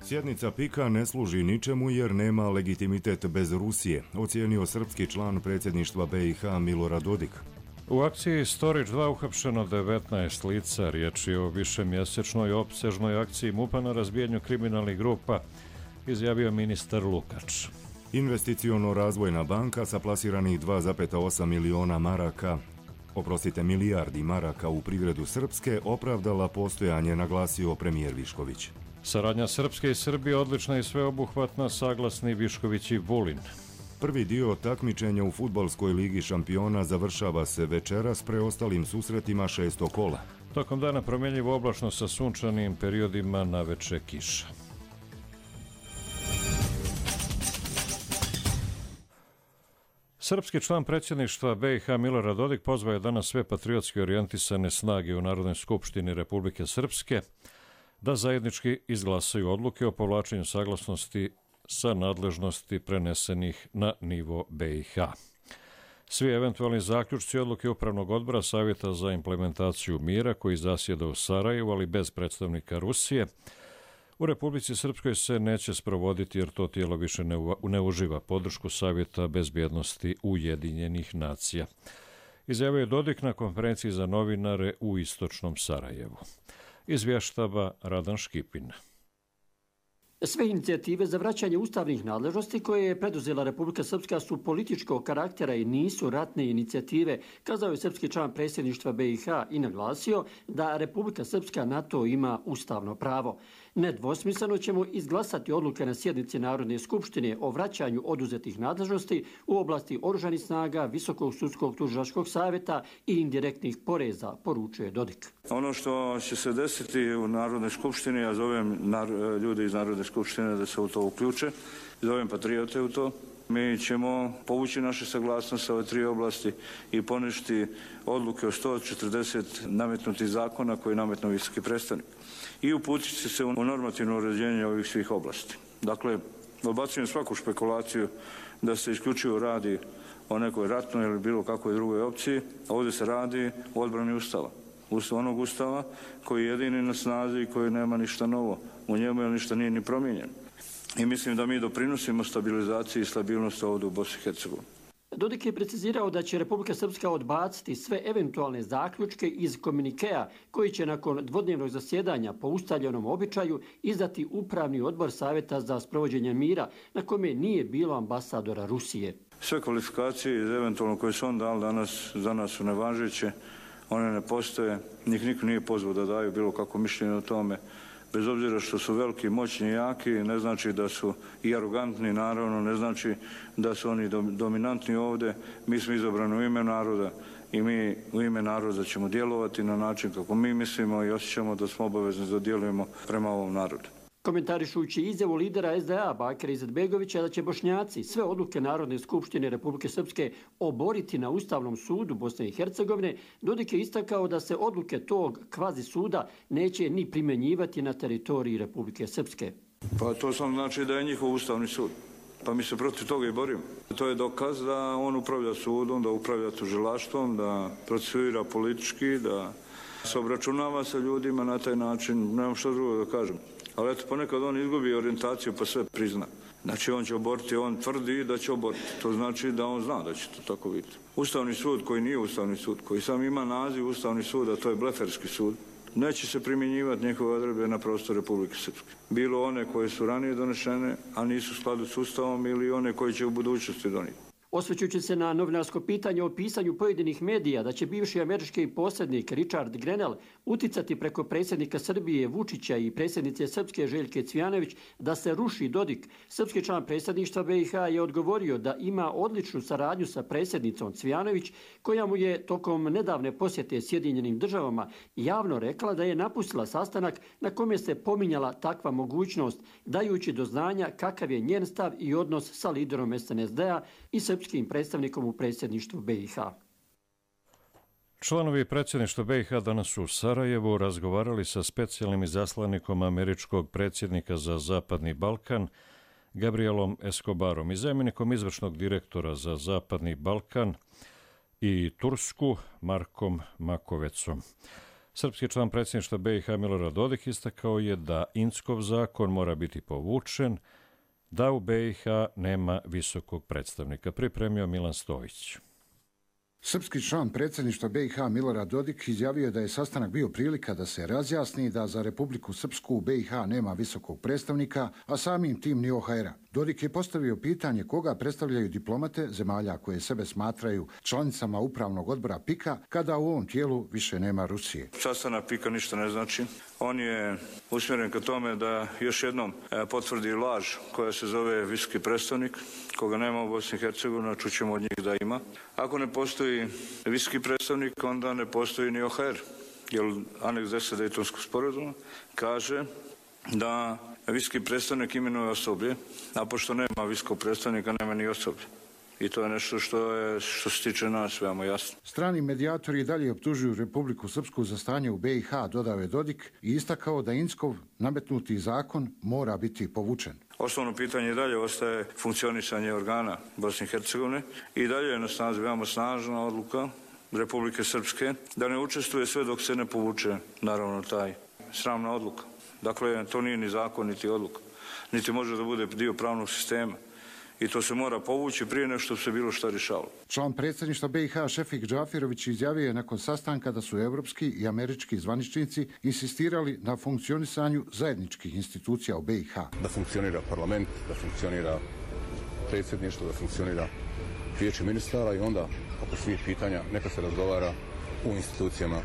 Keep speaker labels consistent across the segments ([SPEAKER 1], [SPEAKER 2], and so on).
[SPEAKER 1] Sjednica PIK-a ne služi ničemu jer nema legitimitet bez Rusije, ocijenio srpski član predsjedništva BiH Milorad Dodik.
[SPEAKER 2] U akciji Storić 2 uhapšeno 19 lica, riječ je o višemjesečnoj opsežnoj akciji MUP-a na razbijanju kriminalnih grupa, izjavio ministar Lukač.
[SPEAKER 1] Investiciono-razvojna banka sa plasiranih 2,8 milijardi maraka u privredu Srpske opravdala postojanje, naglasio premijer Višković.
[SPEAKER 2] Saradnja Srpske i Srbije odlična i sveobuhvatna, saglasni Višković i Vulin.
[SPEAKER 1] Prvi dio takmičenja u fudbalskoj ligi šampiona završava se večeras preostalim susretima 6. kola.
[SPEAKER 2] Tokom dana promjenjivo oblačno sa sunčanim periodima, naveče kiša. Srpski član predsjedništva BiH Milorad Dodik pozvao je danas sve patriotski orijentisane snage u Narodnoj skupštini Republike Srpske da zajednički izglasaju odluke o povlačenju saglasnosti sa nadležnosti prenesenih na nivo BiH. Svi eventualni zaključci odluke Upravnog odbora Savjeta za implementaciju mira koji zasjeda u Sarajevu, ali bez predstavnika Rusije, u Republici Srpskoj se neće sprovoditi jer to tijelo više ne uživa podršku Savjeta bezbjednosti Ujedinjenih nacija. Izjavio je Dodik na konferenciji za novinare u istočnom Sarajevu. Izvještava Radan Škipin.
[SPEAKER 3] Sve inicijative za vraćanje ustavnih nadležnosti koje je preduzela Republika Srpska su političkog karaktera i nisu ratne inicijative, kazao je srpski član predsjedništva BiH i naglasio da Republika Srpska na to ima ustavno pravo. Nedvosmisleno ćemo izglasati odluke na sjednici Narodne skupštine o vraćanju oduzetih nadležnosti u oblasti oružanih snaga, Visokog sudskog tužilačkog savjeta i indirektnih poreza, poručuje Dodik.
[SPEAKER 4] Ono što će se desiti u Narodnoj skupštini, ja zovem ljude iz Narodne skupštine da se u to uključe, zovem patriote u to. Mi ćemo povući naše saglasnosti sa ove tri oblasti i poništiti odluke o 140 nametnutih zakona koje je nametnuo visoki predstavnik. I uputiti se u normativno uređenje ovih svih oblasti. Dakle, odbacujem svaku špekulaciju da se isključivo radi o nekoj ratnoj ili bilo kakvoj drugoj opciji. Ovdje se radi o odbrani Ustava. Onog Ustava koji je jedini na snazi i koji nema ništa novo. U njemu je ništa nije ni promijenjeno. I mislim da mi doprinosimo stabilizaciji i stabilnosti ovdje u Bosni i Hercegovini.
[SPEAKER 3] Dodik je precizirao da će Republika Srpska odbaciti sve eventualne zaključke iz komunikea koji će nakon dvodnevnog zasjedanja po ustaljenom običaju izdati Upravni odbor Savjeta za sprovođenje mira na kome nije bilo ambasadora Rusije.
[SPEAKER 4] Sve kvalifikacije iz eventualno koje su on dali danas za nas su nevažeće, one ne postoje, njih niko nije pozvao da daju bilo kako mišljenje o tome. Bez obzira što su veliki, moćni i jaki, ne znači da su i arogantni, naravno, ne znači da su oni dominantni ovdje. Mi smo izabrani u ime naroda i mi u ime naroda ćemo djelovati na način kako mi mislimo i osjećamo da smo obavezni da djelujemo prema ovom narodu.
[SPEAKER 3] Komentarišujući izjavu lidera SDA Bakira Izetbegovića da će Bošnjaci sve odluke Narodne skupštine Republike Srpske oboriti na Ustavnom sudu Bosne i Hercegovine, Dodik je istakao da se odluke tog kvazi suda neće ni primjenjivati na teritoriji Republike Srpske.
[SPEAKER 4] Pa to sam znači da je njihov Ustavni sud. Pa mi se protiv toga i borimo. To je dokaz da on upravlja sudom, da upravlja tužilaštvom, da procesuira politički, da se obračunava sa ljudima na taj način. Nemam što drugo da kažem. Ali eto, ponekad on izgubi orijentaciju pa sve prizna. Znači on će oboriti, on tvrdi da će oboriti. To znači da on zna da će to tako biti. Ustavni sud koji nije Ustavni sud, koji sam ima naziv Ustavni sud, a to je bleferski sud, neće se primjenjivati njihove odredbe na prostor Republike Srpske. Bilo one koje su ranije donešene, a nisu u skladu s Ustavom, ili one koje će u budućnosti donijeti.
[SPEAKER 3] Osvrćući se na novinarsko pitanje o pisanju pojedinih medija da će bivši američki posrednik Richard Grenell uticati preko predsjednika Srbije Vučića i predsjednice Srpske Željke Cvijanović da se ruši Dodik, srpski član predsjedništva BiH je odgovorio da ima odličnu saradnju sa predsjednicom Cvijanović, koja mu je tokom nedavne posjete Sjedinjenim državama javno rekla da je napustila sastanak na kome se pominjala takva mogućnost, dajući do znanja kakav je njen stav i odnos sa liderom SNSD-a i srpskim predstavnikom u predsjedništvu BiH.
[SPEAKER 2] Članovi predsjedništva BiH danas su u Sarajevu razgovarali sa specijalnim izaslanikom američkog predsjednika za Zapadni Balkan Gabrielom Escobarom i zamjenikom izvršnog direktora za Zapadni Balkan i Tursku Markom Makovecom. Srpski član predsjedništva BiH Milorad Dodik istakao je da Inckov zakon mora biti povučen, da u BiH nema visokog predstavnika. Pripremio Milan Stojić.
[SPEAKER 5] Srpski član predsjedništva BiH Milorad Dodik izjavio je da je sastanak bio prilika da se razjasni da za Republiku Srpsku u BiH nema visokog predstavnika, a samim tim ni OHR-a. Dodik je postavio pitanje koga predstavljaju diplomate zemalja koje sebe smatraju članicama upravnog odbora PIK-a kada u ovom tijelu više nema Rusije.
[SPEAKER 4] Sastanak PIK-a ništa ne znači. On je usmjeren ka tome da još jednom potvrdi laž koja se zove visoki predstavnik, koga nema u Bosni i Hercegovini, čućemo od njih da ima. Ako ne postoji visoki predstavnik, onda ne postoji ni OHR, jer aneks 10 Dejtonskog sporazuma kaže da visoki predstavnik imenuje osoblje, a pošto nema visokog predstavnika, nema ni osoblje. I to je nešto što se tiče nas veoma jasno.
[SPEAKER 5] Strani medijatori i dalje optužuju Republiku Srpsku za stanje u BiH, dodao je Dodik i istakao da Inckov nametnuti zakon mora biti povučen.
[SPEAKER 4] Osnovno pitanje i dalje ostaje funkcionisanje organa Bosne i Hercegovine i dalje je na snazi veoma snažna odluka Republike Srpske da ne učestvuje sve dok se ne povuče naravno taj sramna odluka. Dakle, to nije ni zakon, niti odluka, niti može da bude dio pravnog sistema. I to se mora povući prije nego što se bilo šta rješavalo.
[SPEAKER 5] Član predsjedništva BiH Šefik Džafirović izjavio je nakon sastanka da su evropski i američki zvaničnici insistirali na funkcionisanju zajedničkih institucija u BiH.
[SPEAKER 6] Da funkcionira parlament, da funkcionira predsjedništvo, da funkcionira vijeće ministara i onda oko svih pitanja neka se razgovara u institucijama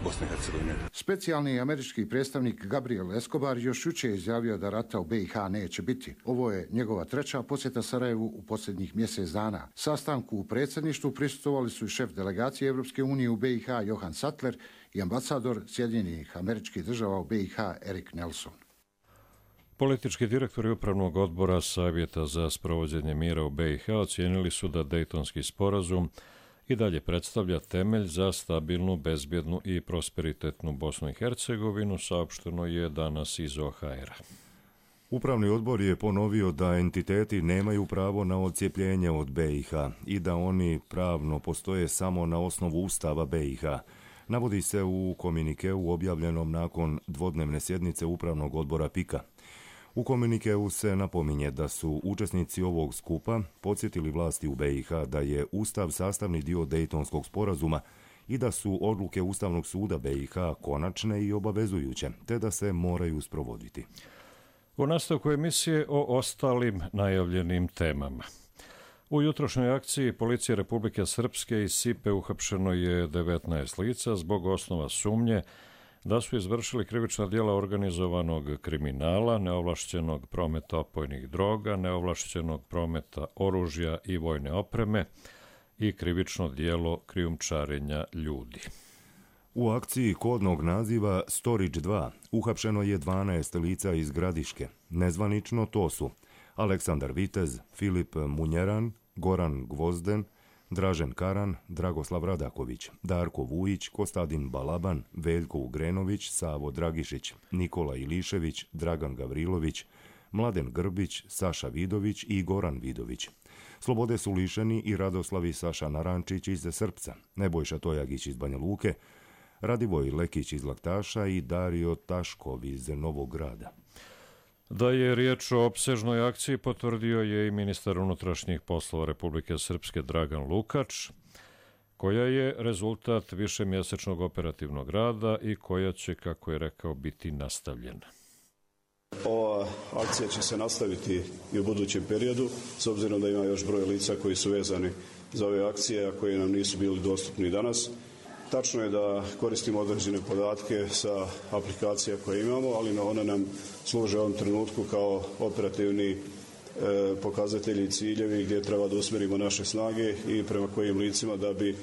[SPEAKER 6] Bosne i Hercegovine.
[SPEAKER 5] Specijalni američki predstavnik Gabriel Escobar još jučer je izjavio da rata u BiH neće biti. Ovo je njegova treća posjeta Sarajevu u posljednjih mjesec dana. Sastanku u predsjedništvu prisustvovali su i šef delegacije Evropske unije u BiH Johan Sattler i ambasador Sjedinjenih Američkih Država u BiH Erik Nelson.
[SPEAKER 2] Politički direktori Upravnog odbora Savjeta za sprovođenje mira u BiH ocijenili su da Dejtonski sporazum i dalje predstavlja temelj za stabilnu, bezbjednu i prosperitetnu Bosnu i Hercegovinu, saopšteno je danas iz OHR-a.
[SPEAKER 1] Upravni odbor je ponovio da entiteti nemaju pravo na odcijepljenje od BiH i da oni pravno postoje samo na osnovu Ustava BiH. Navodi se u komunikeu objavljenom nakon dvodnevne sjednice Upravnog odbora PIK-a. U komunikeu se napominje da su učesnici ovog skupa podsjetili vlasti u BiH da je Ustav sastavni dio Dejtonskog sporazuma i da su odluke Ustavnog suda BiH konačne i obavezujuće, te da se moraju sprovoditi.
[SPEAKER 2] U nastavku emisije o ostalim najavljenim temama. U jutrošnjoj akciji Policije Republike Srpske iz Sipe uhapšeno je 19 lica zbog osnova sumnje da su izvršili krivična djela organizovanog kriminala, neovlašćenog prometa opojnih droga, neovlašćenog prometa oružja i vojne opreme i krivično djelo krijumčarenja ljudi.
[SPEAKER 1] U akciji kodnog naziva Storage 2 uhapšeno je 12 lica iz Gradiške. Nezvanično to su Aleksandar Vitez, Filip Munjeran, Goran Gvozden, Dražen Karan, Dragoslav Radaković, Darko Vujić, Kostadin Balaban, Veljko Ugrenović, Savo Dragišić, Nikola Ilišević, Dragan Gavrilović, Mladen Grbić, Saša Vidović i Goran Vidović. Slobode su lišeni i Radoslavi Saša Narančić iz Srpca, Nebojša Tojagić iz Banja Luke, Radivoj Lekić iz Laktaša i Dario Taškov iz Novog Grada.
[SPEAKER 2] Da je riječ o opsežnoj akciji potvrdio je i ministar unutrašnjih poslova Republike Srpske Dragan Lukač, koja je rezultat višemjesečnog operativnog rada i koja će, kako je rekao, biti nastavljena.
[SPEAKER 7] Ova akcija će se nastaviti i u budućem periodu, s obzirom da ima još broj lica koji su vezani za ove akcije, a koji nam nisu bili dostupni danas. Tačno je da koristimo određene podatke sa aplikacija koje imamo, ali one nam služe u ovom trenutku kao operativni pokazatelji i ciljevi gdje treba da usmjerimo naše snage i prema kojim licima da bi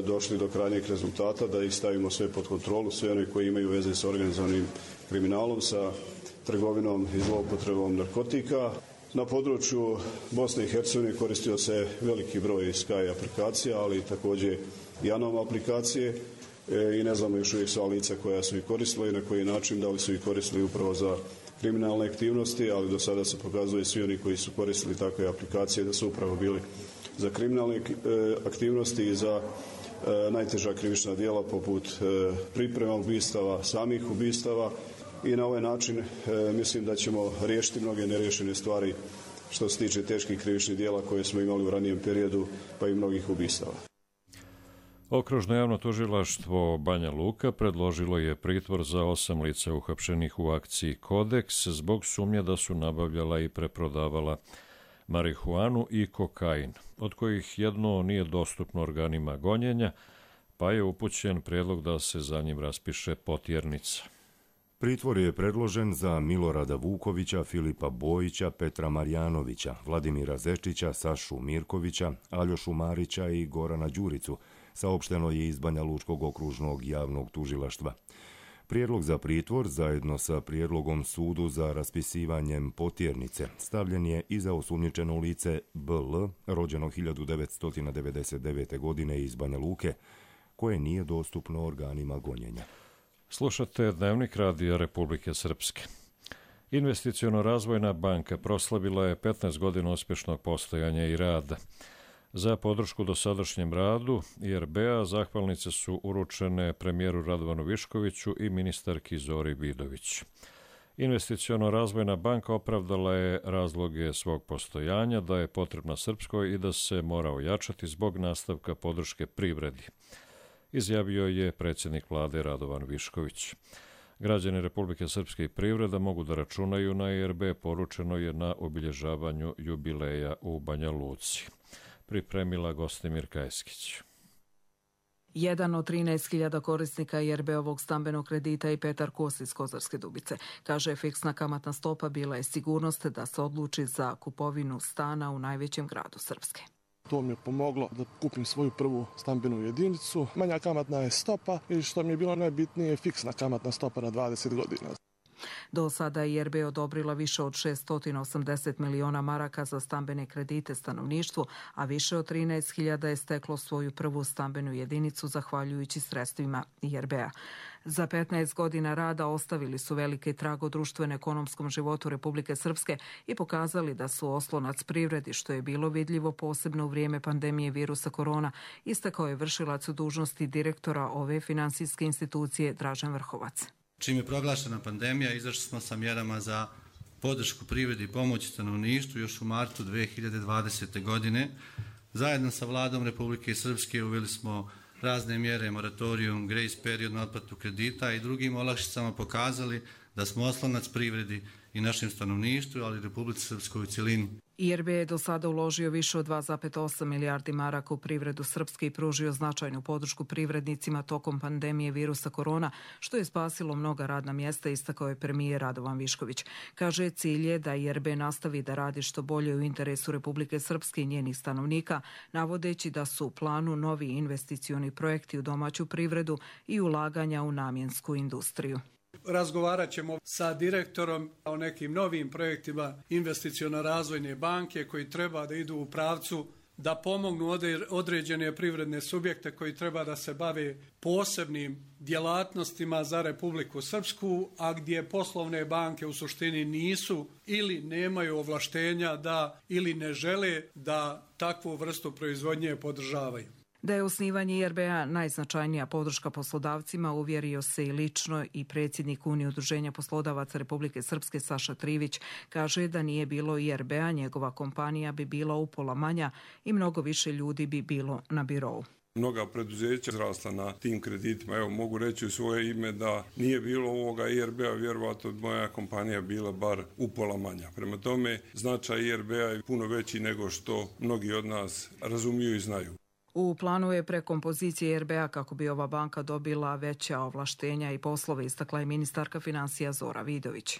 [SPEAKER 7] došli do krajnjeg rezultata, da ih stavimo sve pod kontrolu, sve one koji imaju veze sa organizovanim kriminalom, sa trgovinom i zloupotrebom narkotika. Na području Bosne i Hercegovine koristio se veliki broj Sky aplikacija, ali također i Anom aplikacije i ne znamo još uvijek sva lica koja su ih koristila i na koji način, da li su ih koristili upravo za kriminalne aktivnosti, ali do sada se pokazuje svi oni koji su koristili takve aplikacije da su upravo bili za kriminalne aktivnosti i za najteža krivična djela poput priprema ubistava, samih ubistava i na ovaj način mislim da ćemo riješiti mnoge neriješene stvari što se tiče teških krivičnih djela koje smo imali u ranijem periodu, pa i mnogih ubistava.
[SPEAKER 2] Okružno javno tužilaštvo Banja Luka predložilo je pritvor za 8 lica uhapšenih u akciji Kodeks zbog sumnje da su nabavljala i preprodavala marihuanu i kokain, od kojih jedno nije dostupno organima gonjenja, pa je upućen prijedlog da se za njim raspiše potjernica.
[SPEAKER 1] Pritvor je predložen za Milorada Vukovića, Filipa Bojića, Petra Marjanovića, Vladimira Zečića, Sašu Mirkovića, Aljošu Marića i Gorana Đuricu, saopšteno je iz Banja Lučkog okružnog javnog tužilaštva. Prijedlog za pritvor, zajedno sa prijedlogom sudu za raspisivanjem potjernice, stavljen je i za osumnjičeno lice BL, rođeno 1999. godine iz Banja Luke, koje nije dostupno organima gonjenja.
[SPEAKER 2] Slušate Dnevnik radija Republike Srpske. Investiciono-razvojna banka proslavila je 15 godina uspješnog postojanja i rada. Za podršku dosadašnjem radu IRB-a zahvalnice su uručene premijeru Radovanu Viškoviću i ministarki Zori Vidović. Investiciono-razvojna banka opravdala je razloge svog postojanja, da je potrebna Srpskoj i da se mora ojačati zbog nastavka podrške privredi, izjavio je predsjednik vlade Radovan Višković. Građani Republike Srpske i privreda mogu da računaju na IRB, poručeno je na obilježavanju jubileja u Banja Luci. Pripremila Gostimir Kajskić.
[SPEAKER 8] Jedan od 13.000 korisnika IRB-ovog stambenog kredita i Petar Kos iz Kozarske Dubice. Kaže, fiksna kamatna stopa bila je sigurnost da se odluči za kupovinu stana u najvećem gradu Srpske.
[SPEAKER 9] To mi je pomoglo da kupim svoju prvu stambenu jedinicu. Manja kamatna je stopa i što mi je bilo najbitnije, fiksna kamatna stopa na 20 godina.
[SPEAKER 8] Do sada je IRB odobrila više od 680 miliona maraka za stambene kredite stanovništvu, a više od 13.000 je steklo svoju prvu stambenu jedinicu zahvaljujući sredstvima IRB-a. Za 15 godina rada ostavili su velike trag u društveno-ekonomskom životu Republike Srpske i pokazali da su oslonac privredi, što je bilo vidljivo posebno u vrijeme pandemije virusa korona, istakao je vršilac dužnosti direktora ove finansijske institucije Dražen Vrhovac.
[SPEAKER 10] Čim je proglašena pandemija, izašli smo sa mjerama za podršku privredi i pomoći stanovništvu još u martu 2020. godine. Zajedno sa vladom Republike Srpske uveli smo razne mjere, moratorium, grace period na otplatu kredita i drugim olakšicama pokazali da smo oslonac privredi i našem stanovništvu, ali i Republici Srpskoj u cjelini.
[SPEAKER 8] IRB je do sada uložio više od 2,8 milijardi maraka u privredu Srpske i pružio značajnu podršku privrednicima tokom pandemije virusa korona, što je spasilo mnoga radna mjesta, istakao je premijer Radovan Višković. Kaže, cilj je da IRB nastavi da radi što bolje u interesu Republike Srpske i njenih stanovnika, navodeći da su u planu novi investicioni projekti u domaću privredu i ulaganja u namjensku industriju.
[SPEAKER 11] Razgovarat ćemo sa direktorom o nekim novim projektima investiciono-razvojne banke koji treba da idu u pravcu da pomognu određene privredne subjekte koji treba da se bave posebnim djelatnostima za Republiku Srpsku, a gdje poslovne banke u suštini nisu ili nemaju ovlaštenja da ili ne žele da takvu vrstu proizvodnje podržavaju.
[SPEAKER 8] Da je osnivanje IRB-a najznačajnija podrška poslodavcima uvjerio se i lično i predsjednik Unije udruženja poslodavaca Republike Srpske Saša Trivić. Kaže da nije bilo IRB-a, njegova kompanija bi bila upola manja i mnogo više ljudi bi bilo na birou.
[SPEAKER 12] Mnoga preduzeća izrasla na tim kreditima. Evo, mogu reći u svoje ime da nije bilo ovoga IRB-a, vjerovatno moja kompanija bila bar upola manja. Prema tome, značaj IRB-a je puno veći nego što mnogi od nas razumiju i znaju.
[SPEAKER 8] U planu je prekompozicija IRB-a kako bi ova banka dobila veća ovlaštenja i poslove, istakla je ministarka financija Zora Vidović.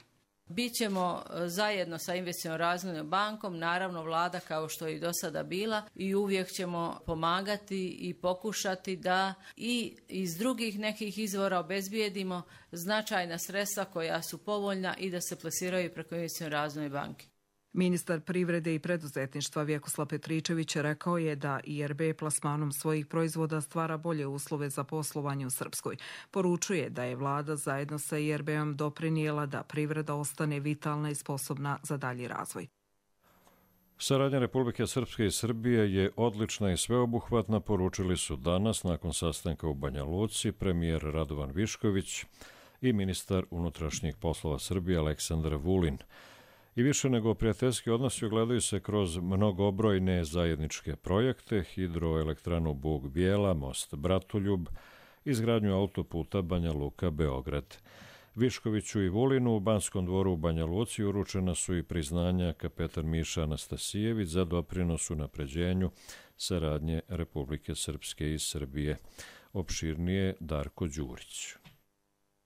[SPEAKER 13] Bićemo zajedno sa investiciono-razvojnom bankom, naravno vlada kao što je i do sada bila, i uvijek ćemo pomagati i pokušati da i iz drugih nekih izvora obezbijedimo značajna sredstva koja su povoljna i da se plasiraju preko investiciono-razvojne banke.
[SPEAKER 8] Ministar privrede i preduzetništva Vjekoslav Petričević rekao je da IRB plasmanom svojih proizvoda stvara bolje uslove za poslovanje u Srpskoj. Poručuje da je vlada zajedno sa IRB-om doprinijela da privreda ostane vitalna i sposobna za dalji razvoj.
[SPEAKER 2] Saradnja Republike Srpske i Srbije je odlična i sveobuhvatna, poručili su danas nakon sastanka u Banja Luci premijer Radovan Višković i ministar unutrašnjih poslova Srbije Aleksandar Vulin. I više nego prijateljski odnosi ogledaju se kroz mnogobrojne zajedničke projekte, hidroelektranu Bug Bijela, most Bratoljub, izgradnju autoputa Banja Luka-Beograd. Viškoviću i Vulinu u Banskom dvoru u Banja Luci uručena su i priznanja kapetan Miša Anastasijević za doprinos unapređenju saradnje Republike Srpske i Srbije. Opširnije Darko Đurić.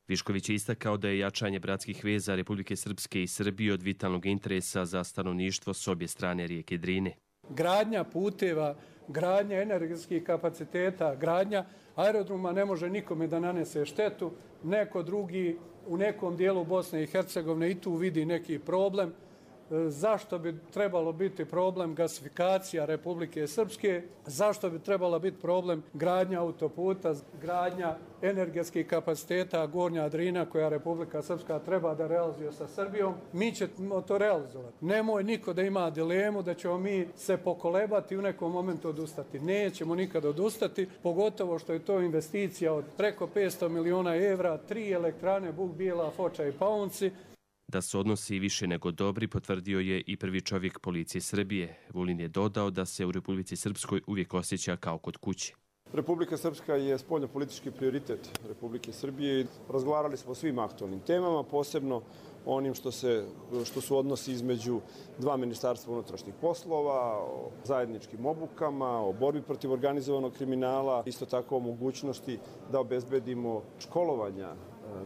[SPEAKER 14] Višković je istakao da je jačanje bratskih veza Republike Srpske i Srbije od vitalnog interesa za stanovništvo s obje strane rijeke Drine.
[SPEAKER 11] Gradnja puteva, gradnja energetskih kapaciteta, gradnja aerodroma ne može nikome da nanese štetu. Neko drugi u nekom dijelu Bosne i Hercegovine i tu vidi neki problem. Zašto bi trebalo biti problem gasifikacija Republike Srpske? Zašto bi trebala biti problem gradnja autoputa, gradnja energetskih kapaciteta Gornja Drina koja Republika Srpska treba da realizuje sa Srbijom? Mi ćemo to realizovati. Nemoj niko da ima dilemu da ćemo mi se pokolebati i u nekom momentu odustati. Nećemo nikad odustati, pogotovo što je to investicija od preko 500 miliona evra, 3 elektrane Bug Bijela, Foča i Paunci.
[SPEAKER 14] Da su odnosi više nego dobri, potvrdio je i prvi čovjek policije Srbije. Vulin je dodao da se u Republici Srpskoj uvijek osjeća kao kod kuće.
[SPEAKER 15] Republika Srpska je spoljnopolitički prioritet Republike Srbije. Razgovarali smo o svim aktualnim temama, posebno onim što su odnosi između dva ministarstva unutrašnjih poslova, o zajedničkim obukama, o borbi protiv organizovanog kriminala, isto tako o mogućnosti da obezbedimo školovanja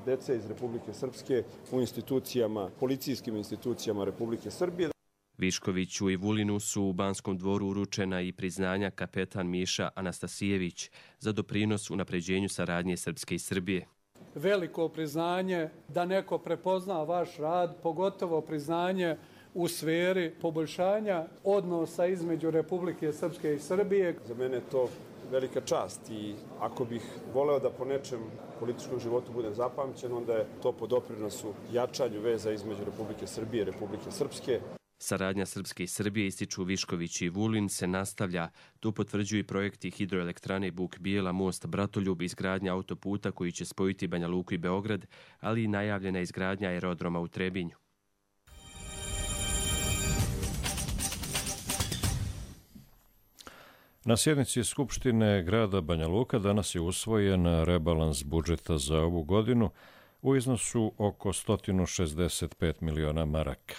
[SPEAKER 15] dece iz Republike Srpske u institucijama, policijskim institucijama Republike Srbije.
[SPEAKER 14] Viškoviću i Vulinu su u Banskom dvoru uručena i priznanja kapetan Miša Anastasijević za doprinos unapređenju saradnje Srpske i Srbije.
[SPEAKER 11] Veliko priznanje da neko prepozna vaš rad, pogotovo priznanje u sferi poboljšanja odnosa između Republike Srpske i Srbije.
[SPEAKER 15] Za mene je to velika čast i ako bih voleo da po nečem političkom životu budem zapamćen, onda je to po doprinosu jačanju veza između Republike Srbije i Republike Srpske.
[SPEAKER 14] Saradnja Srpske i Srbije, ističu Višković i Vulin, se nastavlja. Tu potvrđuju i projekti hidroelektrane Bug Bijela, most Bratoljub, izgradnja autoputa koji će spojiti Banja Luku i Beograd, ali i najavljena izgradnja aerodroma u Trebinju.
[SPEAKER 2] Na sjednici Skupštine grada Banja Luka danas je usvojen rebalans budžeta za ovu godinu u iznosu oko 165 miliona maraka.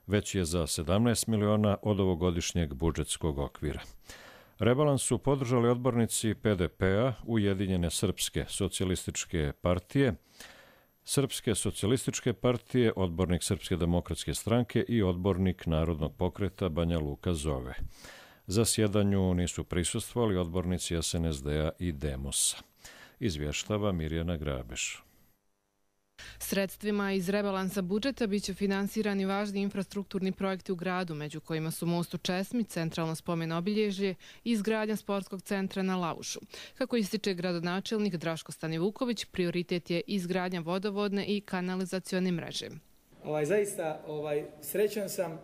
[SPEAKER 2] Već je za 17 miliona od ovogodišnjeg budžetskog okvira. Rebalans su podržali odbornici PDP-a, Ujedinjene Srpske socijalističke partije, Srpske socijalističke partije, odbornik Srpske demokratske stranke i odbornik Narodnog pokreta Banja Luka Zove. Zasjedanju nisu prisustvovali odbornici SNSD-a i Demosa. Izvještava Mirjana Grabeš.
[SPEAKER 16] Sredstvima iz rebalansa budžeta biće finansirani važni infrastrukturni projekti u gradu, među kojima su most u Česmi, centralno spomen obilježje i izgradnja sportskog centra na Laušu. Kako ističe gradonačelnik Draško Stanivuković, prioritet je izgradnja vodovodne i kanalizacione mreže.
[SPEAKER 17] Zaista srećan sam,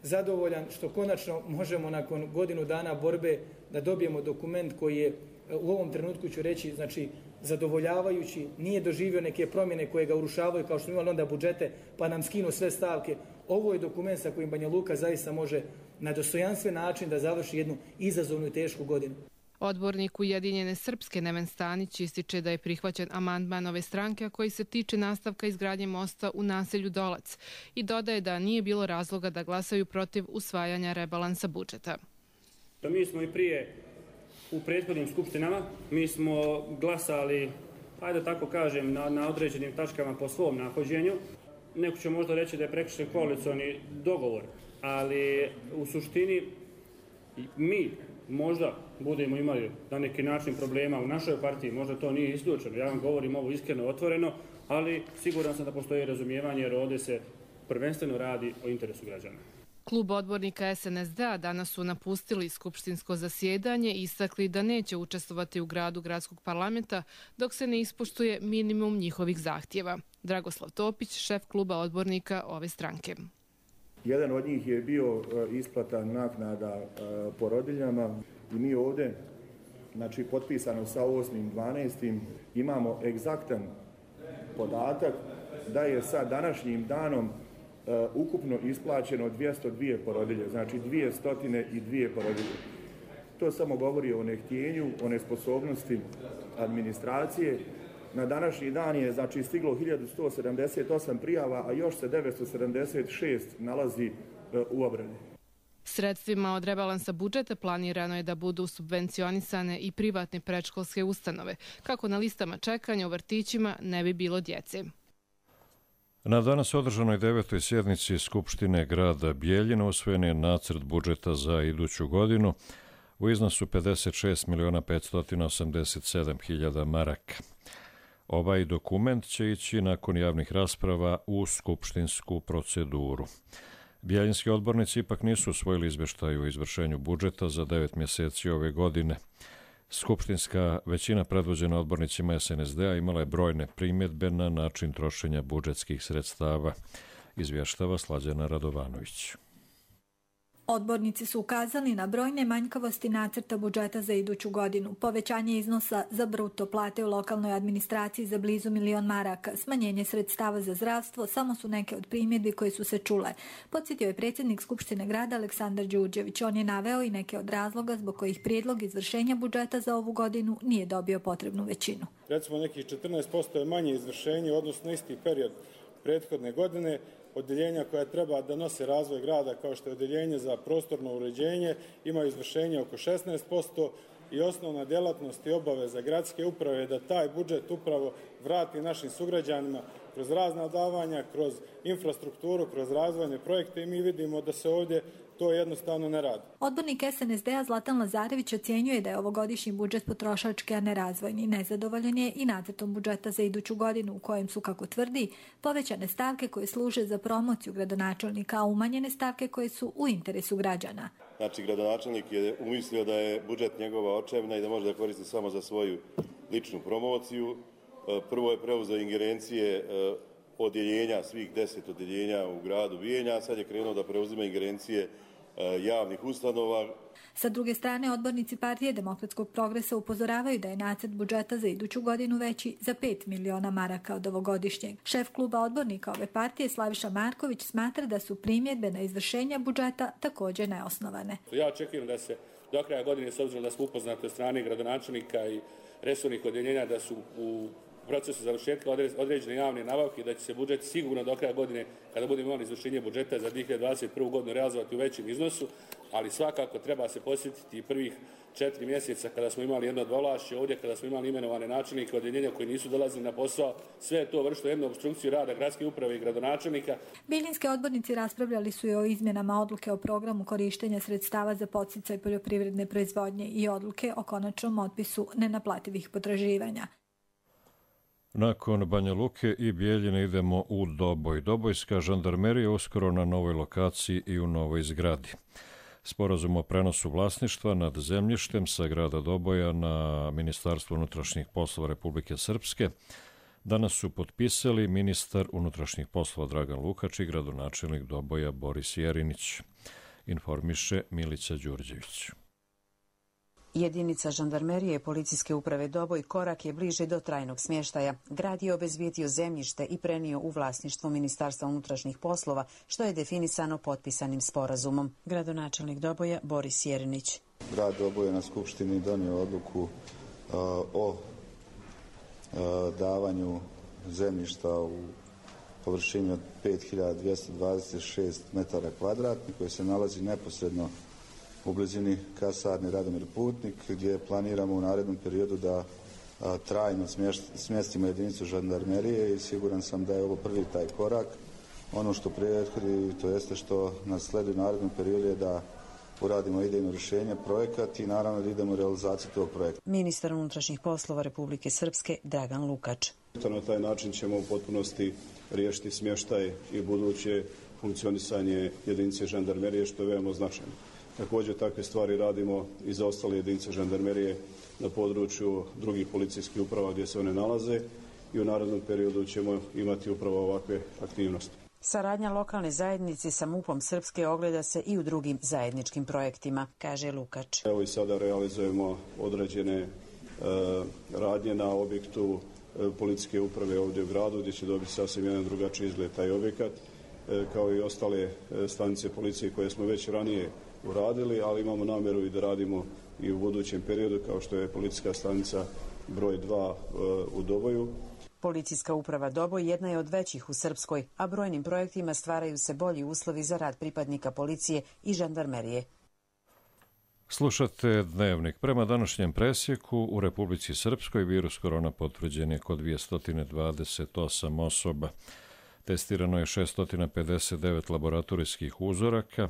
[SPEAKER 17] zadovoljan što konačno možemo nakon godinu dana borbe da dobijemo dokument koji je u ovom trenutku, ću reći, znači zadovoljavajući, nije doživio neke promjene koje ga urušavaju kao što imali onda budžete pa nam skinu sve stavke. Ovo je dokument sa kojim Banja Luka zaista može na dostojanstven način da završi jednu izazovnu i tešku godinu.
[SPEAKER 16] Odbornik Ujedinjene Srpske Neven Stanić ističe da je prihvaćen amandman ove stranke, a koji se tiče nastavka izgradnje mosta u naselju Dolac i dodaje da nije bilo razloga da glasaju protiv usvajanja rebalansa budžeta.
[SPEAKER 18] Mi smo i prije u prethodnim skupštinama, mi smo glasali, ajde tako kažem, na određenim tačkama po svom nahođenju. Neko će možda reći da je prekršen koalicioni dogovor, ali u suštini mi možda budemo imali na neki način problema u našoj partiji, možda to nije isključeno. Ja vam govorim ovo iskreno, otvoreno, ali siguran sam da postoji razumijevanje jer ovdje se prvenstveno radi o interesu građana.
[SPEAKER 16] Klub odbornika SNSD-a danas su napustili skupštinsko zasjedanje i istakli da neće učestvovati u gradu gradskog parlamenta dok se ne ispoštuje minimum njihovih zahtjeva. Dragoslav Topić, šef kluba odbornika ove stranke.
[SPEAKER 19] Jedan od njih je bio isplata naknada porodiljama i mi ovdje, znači potpisano sa 8.12. imamo egzaktan podatak da je sa današnjim danom ukupno isplaćeno 202 porodilje, znači 202 porodilje. To samo govori o nehtjenju, o nesposobnosti administracije. Na današnji dan je znači stiglo 1178 prijava, a još se 976 nalazi u obradi.
[SPEAKER 16] Sredstvima od rebalansa budžeta planirano je da budu subvencionisane i privatne predškolske ustanove, kako na listama čekanja u vrtićima ne bi bilo djece.
[SPEAKER 2] Na danas održanoj 9. sjednici Skupštine grada Bijeljina usvojen je nacrt budžeta za iduću godinu u iznosu 56.587.000 maraka. Ovaj dokument će ići nakon javnih rasprava u skupštinsku proceduru. Bijeljinski odbornici ipak nisu usvojili izveštaj o izvršenju budžeta za 9 mjeseci ove godine. Skupštinska većina predvođena odbornicima SNSD-a imala je brojne primjedbe na način trošenja budžetskih sredstava, izvještava Slađana Radovanović.
[SPEAKER 20] Odbornici su ukazali na brojne manjkavosti nacrta budžeta za iduću godinu. Povećanje iznosa za bruto plate u lokalnoj administraciji za blizu 1 milion maraka, smanjenje sredstava za zdravstvo, samo su neke od primjedbi koje su se čule. Podsjetio je predsjednik Skupštine grada Aleksandar Đurđević. On je naveo i neke od razloga zbog kojih prijedlog izvršenja budžeta za ovu godinu nije dobio potrebnu većinu.
[SPEAKER 21] Recimo nekih 14% je manje izvršenje, odnosno isti period prethodne godine. Odeljenja koja treba da nose razvoj grada, kao što je odeljenje za prostorno uređenje, imaju izvršenje oko 16% i osnovna djelatnost i obaveza gradske uprave je da taj budžet upravo vrati našim sugrađanima kroz razna davanja, kroz infrastrukturu, kroz razvojne projekte i mi vidimo da se ovdje to jednostavno ne radi.
[SPEAKER 20] Odbornik SNSD-a Zlatan Lazarević ocjenjuje da je ovogodišnji budžet potrošački, a ne razvojni. Nezadovoljan je i nacrtom budžeta za iduću godinu u kojem su, kako tvrdi, povećane stavke koje služe za promociju gradonačelnika, a umanjene stavke koje su u interesu građana.
[SPEAKER 22] Znači, gradonačelnik je umislio da je budžet njegova očevna i da može da koristi samo za svoju ličnu promociju. Prvo je preuzeo ingerencije odjeljenja, svih 10 odjeljenja u gradu Bijeljina, a sad je krenuo da preuzima ingerencije javnih ustanova.
[SPEAKER 20] Sa druge strane, odbornici Partije demokratskog progresa upozoravaju da je nacrt budžeta za iduću godinu veći za 5 miliona maraka od ovogodišnjeg. Šef kluba odbornika ove partije, Slaviša Marković, smatra da su primjedbe na izvršenje budžeta također neosnovane.
[SPEAKER 23] Ja očekujem da se do kraja godine, s obzirom da smo upoznati od strane gradonačelnika i resornih odjeljenja, da su u procesu završetka određene javne nabavke, da će se budžet sigurno do kraja godine, kada budemo imali izvršenje budžeta za 2021. godinu, realizovati u većem iznosu, ali svakako treba se posjetiti i prvih 4 mjeseca kada smo imali jedno dvovlašće ovdje, kada smo imali imenovane načelnike odjeljenja koji nisu dolazili na posao, sve je to vršilo jednu opstrukciju rada gradske uprave i gradonačelnika.
[SPEAKER 20] Bijeljinski odbornici raspravljali su i o izmjenama odluke o programu korištenja sredstava za podsticaj poljoprivredne proizvodnje i odluke o konačnom otpisu nenaplativih potraživanja.
[SPEAKER 2] Nakon Banja Luke i Bijeljine idemo u Doboj. Dobojska žandarmerija uskoro na novoj lokaciji i u novoj zgradi. Sporazum o prenosu vlasništva nad zemljištem sa grada Doboja na Ministarstvo unutrašnjih poslova Republike Srpske danas su potpisali ministar unutrašnjih poslova Dragan Lukač i gradonačelnik Doboja Boris Jerinić, informiše Milica Đurđević.
[SPEAKER 24] Jedinica žandarmerije policijske uprave Doboj korak je bliže do trajnog smještaja. Grad je obezbijedio zemljište i prenio u vlasništvo Ministarstva unutrašnjih poslova, što je definisano potpisanim sporazumom. Gradonačelnik Doboja Boris Jerinić.
[SPEAKER 25] Grad Doboj je na Skupštini donio odluku o davanju zemljišta u površini od 5226 metara kvadratnih koje se nalazi neposredno u blizini kasarne Radomir Putnik, gdje planiramo u narednom periodu da trajno smjestimo jedinicu žandarmerije i siguran sam da je ovo prvi taj korak. Ono što prethodi, to jeste što nas sledi u narednom periodu je da uradimo idejno rješenje, projekat i naravno da idemo u realizaciju tog projekta.
[SPEAKER 24] Ministar unutrašnjih poslova Republike Srpske Dragan Lukač.
[SPEAKER 7] Na taj način ćemo u potpunosti riješiti smještaj i buduće funkcionisanje jedinice žandarmerije, što je veoma značajno. Također takve stvari radimo i za ostale jedinice žandarmerije na području drugih policijskih uprava gdje se one nalaze i u narednom periodu ćemo imati upravo ovakve aktivnosti.
[SPEAKER 24] Saradnja lokalne zajednice sa MUP-om Srpske ogleda se i u drugim zajedničkim projektima, kaže Lukač.
[SPEAKER 7] Evo i sada realizujemo određene radnje na objektu policijske uprave ovdje u gradu, gdje će dobiti sasvim jedan drugačiji izgled taj objekat, kao i ostale stanice policije koje smo već ranije uradili, ali imamo namjeru i da radimo i u budućem periodu, kao što je policijska stanica broj 2 u Doboju.
[SPEAKER 24] Policijska uprava Doboj jedna je od većih u Srpskoj, a brojnim projektima stvaraju se bolji uslovi za rad pripadnika policije i žandarmerije.
[SPEAKER 2] Slušate Dnevnik. Prema današnjem presjeku u Republici Srpskoj virus korona potvrđen je kod 228 osoba. Testirano je 659 laboratorijskih uzoraka,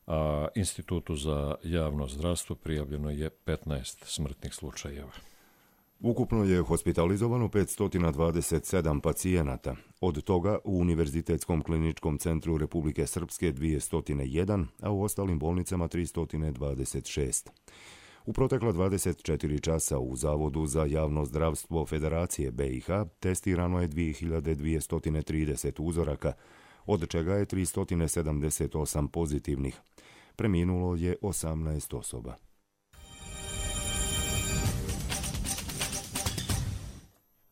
[SPEAKER 2] a Institutu za javno zdravstvo prijavljeno je 15 smrtnih slučajeva.
[SPEAKER 1] Ukupno je hospitalizovano 527 pacijenata, od toga u Univerzitetskom kliničkom centru Republike Srpske 201, a u ostalim bolnicama 326. U protekla 24 časa u Zavodu za javno zdravstvo Federacije BiH testirano je 2230 uzoraka, od čega je 378 pozitivnih. Preminulo je 18 osoba.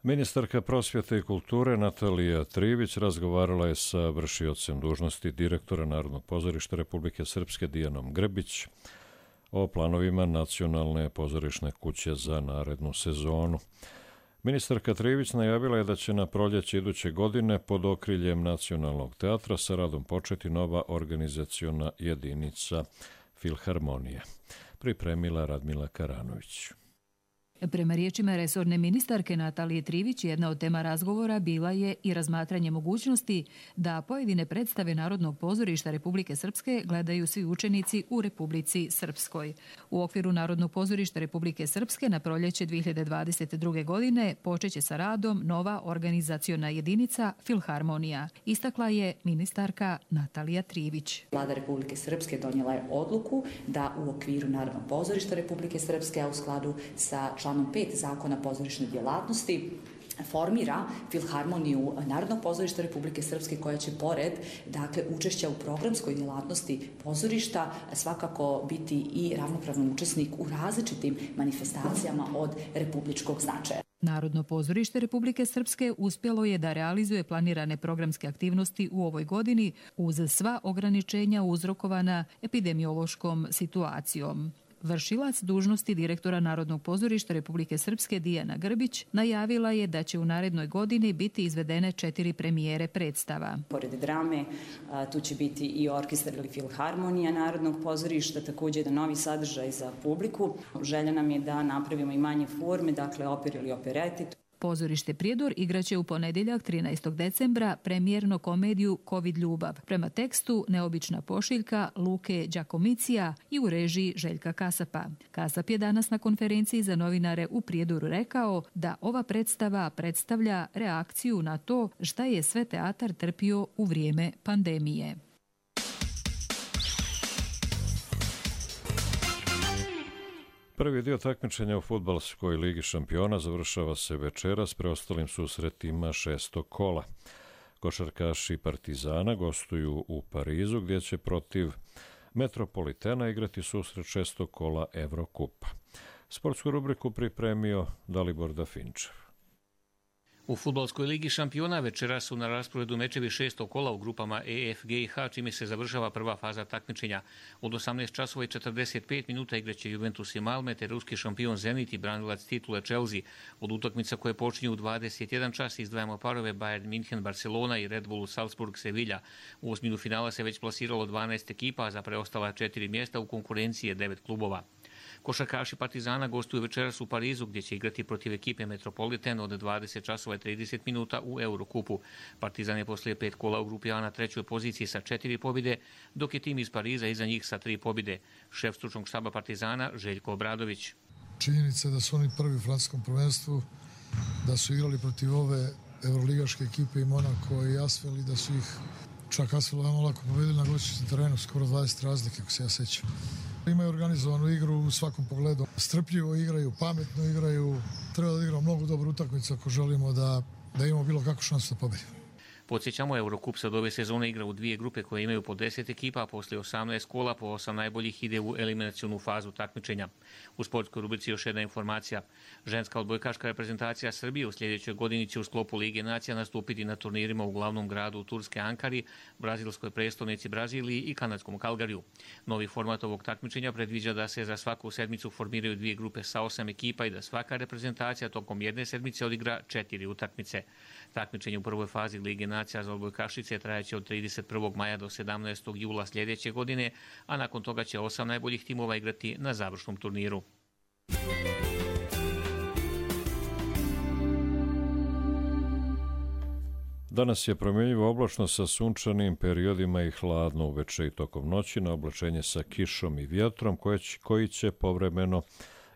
[SPEAKER 2] Ministarka prosvjete i kulture Natalija Trivić razgovarala je sa vršiocem dužnosti direktora Narodnog pozorišta Republike Srpske Dijanom Grbić o planovima Nacionalne pozorišne kuće za narednu sezonu. Ministarka Trivić najavila je da će na proljeće iduće godine pod okriljem Nacionalnog teatra sa radom početi nova organizaciona jedinica Filharmonije. Pripremila Radmila Karanović.
[SPEAKER 3] Prema riječima resorne ministarke Natalije Trivić, jedna od tema razgovora bila je i razmatranje mogućnosti da pojedine predstave Narodnog pozorišta Republike Srpske gledaju svi učenici u Republici Srpskoj. U okviru Narodnog pozorišta Republike Srpske na proljeće 2022. godine počeće sa radom nova organizaciona jedinica Filharmonija, istakla je ministarka Natalija Trivić.
[SPEAKER 4] Vlada Republike Srpske donijela je odluku da u okviru Narodnog pozorišta Republike Srpske, a u skladu sa članom 5 Zakona o pozorišnoj djelatnosti, formira Filharmoniju Narodnog pozorišta Republike Srpske, koja će pored učešća u programskoj djelatnosti pozorišta svakako biti i ravnopravan učesnik u različitim manifestacijama od republičkog značaja.
[SPEAKER 3] Narodno pozorište Republike Srpske uspjelo je da realizuje planirane programske aktivnosti u ovoj godini uz sva ograničenja uzrokovana epidemiološkom situacijom. Vršilac dužnosti direktora Narodnog pozorišta Republike Srpske Dijana Grbić najavila je da će u narednoj godini biti izvedene 4 premijere predstava.
[SPEAKER 4] Pored drame, tu će biti i orkestar ili Filharmonija Narodnog pozorišta, također jedan novi sadržaj za publiku. Želja nam je da napravimo i manje forme, dakle operu ili opereti.
[SPEAKER 3] Pozorište Prijedor igraće u ponedjeljak 13. decembra premijerno komediju Covid ljubav prema tekstu Neobična pošiljka Luke Đakomicija i u režiji Željka Kasapa. Kasap je danas na konferenciji za novinare u Prijedoru rekao da ova predstava predstavlja reakciju na to šta je sve teatar trpio u vrijeme pandemije.
[SPEAKER 2] Prvi dio takmičenja u fudbalskoj ligi šampiona završava se večeras preostalim susretima 6. kola. Košarkaši Partizana gostuju u Parizu, gdje će protiv Metropolitena igrati susret 6. kola Evrokupa. Sportsku rubriku pripremio Dalibor Dafinčev.
[SPEAKER 5] U fudbalskoj ligi šampiona večera su na rasporedu mečevi 6. kola u grupama E, F, G i H, čime se završava prva faza takmičenja. Od 18 časova i 45 minuta igraće Juventus i Malme, te ruski šampion Zenit i branilac titule Chelsea. Od utakmica koje počinju u 21 čas izdvajamo parove Bayern München, Barcelona i Red Bull Salzburg, Sevilla. U osminu finala se već plasiralo 12 ekipa, a za preostala 4 mjesta u konkurenciji je 9 klubova. Košarkaši Partizana gostuju večeras u Parizu, gdje će igrati protiv ekipe Metropoliten od 20 časova i 30 minuta u Eurokupu. Partizan je poslije 5 kola u grupi A na 3. poziciji sa 4 pobjede, dok je tim iz Pariza iza njih sa 3 pobjede. Šef stručnog štaba Partizana Željko Obradović.
[SPEAKER 6] Činjenica da su oni prvi u francuskom prvenstvu, da su igrali protiv ove evroligaške ekipe i Monako i Asvel i da su ih čak Asvel veoma lako pobedili na gostujućem terenu, skoro 20 razlike, ako se ja sećam. Imaju organizovanu igru u svakom pogledu. Strpljivo igraju, pametno igraju. Treba da igramo mnogo dobru utakmicu ako želimo da imamo bilo kakvu šansu da pobedimo.
[SPEAKER 5] Podsjećamo, Eurocup se od ove sezone igra u 2 grupe koje imaju po 10 ekipa, a poslije 18 kola po 8 najboljih ide u eliminacionu fazu takmičenja. U sportskoj rubrici još jedna informacija. Ženska odbojkaška reprezentacija Srbije u sljedećoj godini će u sklopu Lige nacija nastupiti na turnirima u glavnom gradu Turske Ankari, brazilskoj prestonici Braziliji i kanadskom Kalgariju. Novi format ovog takmičenja predviđa da se za svaku sedmicu formiraju 2 grupe sa 8 ekipa i da svaka reprezentacija tokom jedne sedmice odigra 4 utakmice. Takmičenje u prvoj fazi Lige nacija za odbojkašice trajaće od 31. maja do 17. jula sljedeće godine, a nakon toga će 8 najboljih timova igrati na završnom turniru.
[SPEAKER 2] Danas je promjenjivo oblačno sa sunčanim periodima i hladno uveče i tokom noći, na oblačenje sa kišom i vjetrom koji će povremeno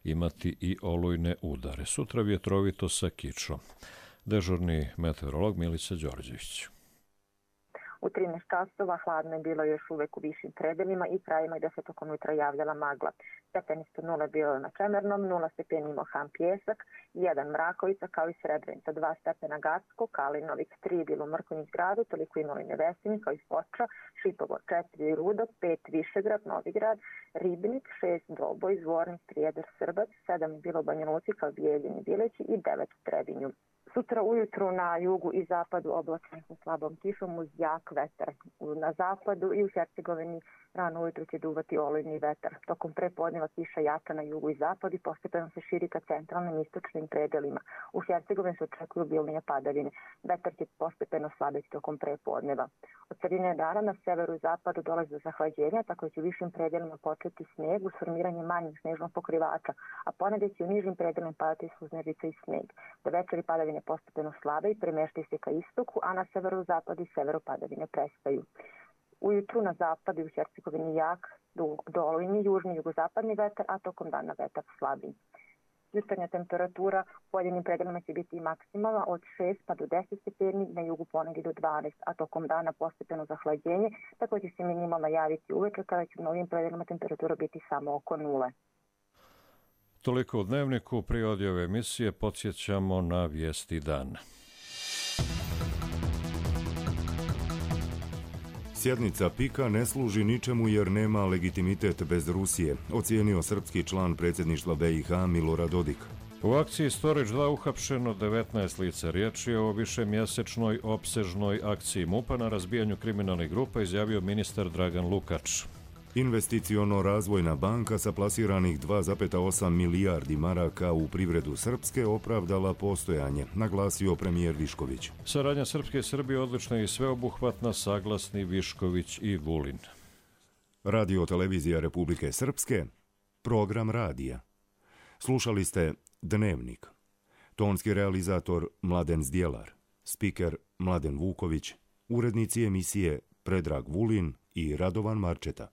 [SPEAKER 2] imati i olujne udare. Sutra vjetrovito sa kišom. Dežurni meteorolog Milica Đorđević.
[SPEAKER 8] U 13 časova hladno je bilo još uvek u višim predelima i krajima gde se tokom jutra javljala magla. Stepenisto 0 bilo na Čemernom, 0 stepeni Mohan Pjesak, 1 Mrakovica kao i Srebrenica, 2 stepena Gacko, Kalinovik, 3 bilo u Mrkonjić gradu, toliko i Novi Nevesini kao i Foča, Šipovo 4 Rudo, 5 Višegrad, Novigrad, Ribnik, 6 Doboj, Zvornik, Prijedor, Srbac, 7 bilo u Banja Luci kao Bijeljini, Bileći i 9 u Trebinju. Sutra ujutru na jugu i zapadu oblačno sa slabom kišom uz jak vetar. Na zapadu i u Hercegovini rano ujutru će duvati olujni vetar. Tokom prepodneva kiša jača na jugu i zapadu i postepeno se širi ka centralnim i istočnim predelima. U Hercegovini se očekuju obilnije padavine. Vetar će postepeno slabiti tokom prepodneva. Od sredine dana na severu i zapadu dolazi do zahlađenja, tako će u višim predelima početi sneg uz formiranje manjih snežnog pokrivača, a ponedje će u nižim predelima padati suznežica i sneg. Do večeri padavine postepeno slabe i premeštaju se ka istoku, a na severozapadu i severu padavine prestaju. Ujutru na zapadu i u Hercegovini jak do olujni južni jugozapadni vetar, a tokom dana vetar slabiji. Jutarnja temperatura u pojedinim predelima će biti maksimalna od 6 pa do 10 stepeni, na jugu ponegdje do 12, a tokom dana postepeno zahlađenje, tako će se minimalno javiti uveče kada će u mnogim predelima temperatura biti samo oko 0.
[SPEAKER 2] Toliko u Dnevniku. Prije ove emisije podsjećamo na vijesti dana.
[SPEAKER 1] Sjednica PIK-a ne služi ničemu jer nema legitimitet bez Rusije, ocijenio srpski član predsjedništva BiH Milorad Dodik.
[SPEAKER 2] U akciji Storage 2 uhapšeno 19 lica. Riječ je o višemjesečnoj opsežnoj akciji MUP-a na razbijanju kriminalnih grupa, izjavio ministar Dragan Lukač.
[SPEAKER 1] Investiciono-razvojna banka sa plasiranih 2,8 milijardi maraka u privredu Srpske opravdala postojanje, naglasio premijer Višković.
[SPEAKER 2] Saradnja Srpske i Srbije odlična i sveobuhvatna, saglasni Višković i Vulin.
[SPEAKER 1] Radio televizija Republike Srpske, program radija. Slušali ste Dnevnik. Tonski realizator Mladen Zdjelar, spiker Mladen Vuković, urednici emisije Predrag Vulin i Radovan Marčeta.